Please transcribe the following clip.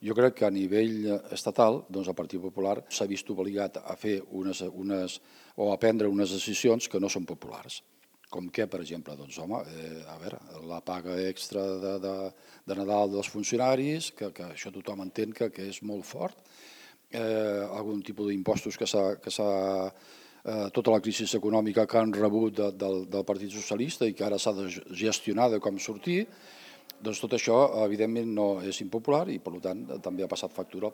Jo crec que a nivell estatal el Partit Popular s'ha vist obligat a fer o a prendre unes decisions que no són populars. Com que, per exemple, la paga extra de Nadal dels funcionaris, que això tothom entén que és molt fort, algun tipus d'impostos tota la crisi econòmica que han rebut del Partit Socialista i que ara s'ha de gestionar de com sortir, doncs tot això, evidentment, no és impopular i, per tant, també ha passat factura